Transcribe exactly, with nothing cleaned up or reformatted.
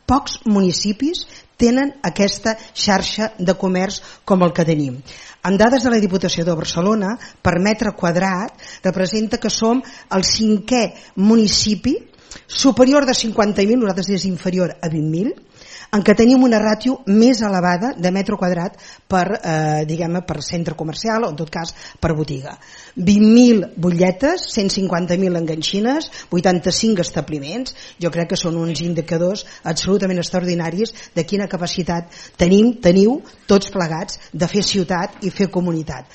Pocs municipis tenen aquesta xarxa de comerç com el que tenim. Amb dades de la Diputació de Barcelona, per metre quadrat representa que som el cinquè municipi superior de cinquanta mil, nosaltres és inferior a vint mil, en què tenim una ràtio més elevada de metre quadrat per, eh, diguem-ne, per centre comercial o en tot cas per botiga. vint mil butlletes, cent cinquanta mil enganxines, vuitanta-cinc establiments. Jo crec que són uns indicadors absolutament extraordinaris de quina capacitat tenim, teniu tots plegats de fer ciutat i fer comunitat.